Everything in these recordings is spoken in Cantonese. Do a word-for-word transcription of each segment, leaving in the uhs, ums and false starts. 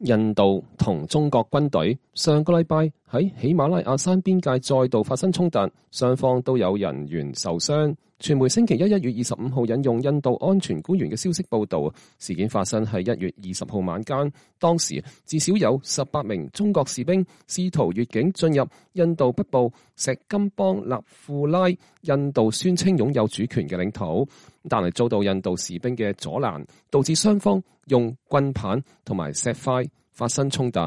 印度同中國軍隊上個禮拜喺喜馬拉雅山邊界再度發生衝突，雙方都有人員受傷。傳媒星期一一月二十五號引用印度安全官員嘅消息報道，事件發生喺一月二十號晚間，當時至少有十八名中國士兵試圖越境進入印度北部錫金邦納庫拉，印度宣稱擁有主權嘅領土，但係遭到印度士兵嘅阻攔，導致雙方用棍棒同埋石塊發生衝突。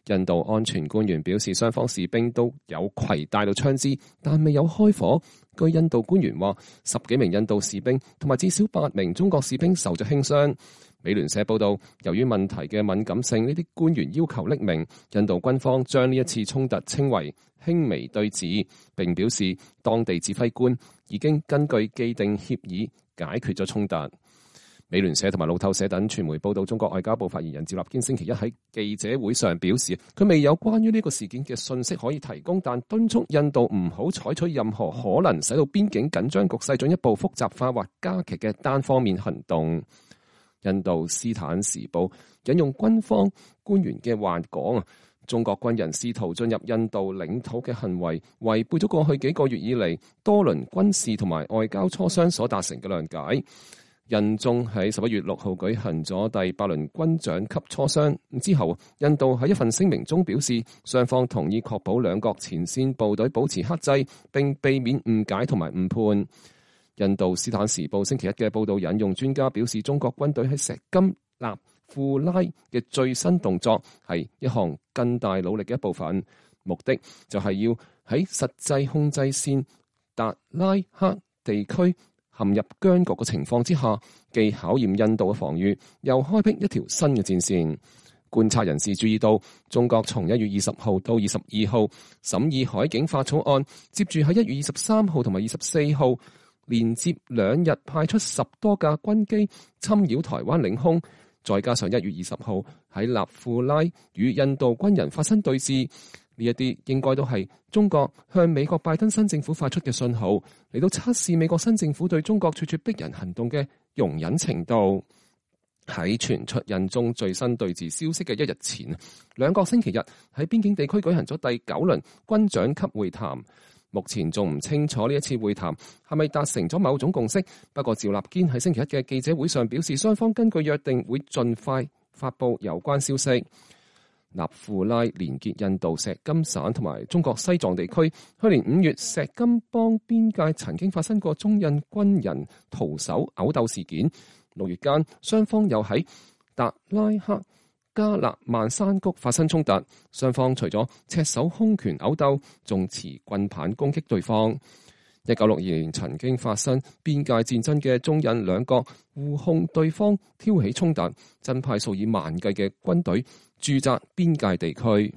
印度安全官員表示，雙方士兵都有攜帶到槍支，但未有開火。據印度官員話，十幾名印度士兵同埋至少八名中國士兵受咗輕傷。美聯社報道，由於問題嘅敏感性，呢啲官員要求匿名。印度軍方將呢一次衝突稱為輕微對峙，並表示當地指揮官已經根據既定協議解決咗衝突。美聯社同埋路透社等傳媒報道，中國外交部發言人趙立堅星期一喺記者會上表示，佢未有關於呢個事件嘅信息可以提供，但敦促印度唔好採取任何可能使到邊境緊張局勢進一步複雜化或加劇嘅單方面行動。印度斯坦時報引用軍方官員嘅話講，中國軍人試圖進入印度領土嘅行為違背咗過去幾個月以嚟多輪軍事同埋外交磋商所達成嘅諒解。印中喺十一月六號舉行咗第八輪軍長級磋商之後，印度喺一份聲明中表示，雙方同意確保兩國前線部隊保持克制，並避免誤解同埋誤判。印度斯坦時報星期一嘅報道引用專家表示，中國軍隊喺錫金納庫拉嘅最新動作係一項更大努力嘅一部分，目的就係要喺實際控制線達拉克地區陷入僵局嘅情況之下，既考驗印度嘅防禦，又開闢一條新嘅戰線。觀察人士注意到，中國從一月二十號到二十二號審議海警法草案，接住喺一月二十三號同埋二十四號連接兩日派出十多架軍機侵擾台灣領空，再加上一月二十號喺納庫拉與印度軍人發生對峙。呢一啲應該都係中國向美國拜登新政府發出嘅信號，嚟到測試美國新政府對中國咄咄逼人行動嘅容忍程度。喺傳出印中最新對峙消息嘅一日前，兩國星期日喺邊境地區舉行咗第九輪軍長級會談。目前仲唔清楚呢一次會談係咪達成咗某種共識，不過趙立堅喺星期一嘅記者會上表示，雙方根據約定會盡快發布有關消息。納庫拉連結印度錫金省同埋中國西藏地區。去年五月，錫金邦邊界曾經發生過中印軍人徒手毆鬥事件。六月間，雙方又喺達拉克加勒萬山谷發生衝突，雙方除咗赤手空拳毆鬥，仲持棍棒攻擊對方。一九六二年曾經發生邊界戰爭嘅中印兩國互控對方挑起衝突，增派數以萬計嘅軍隊駐紮邊界地區。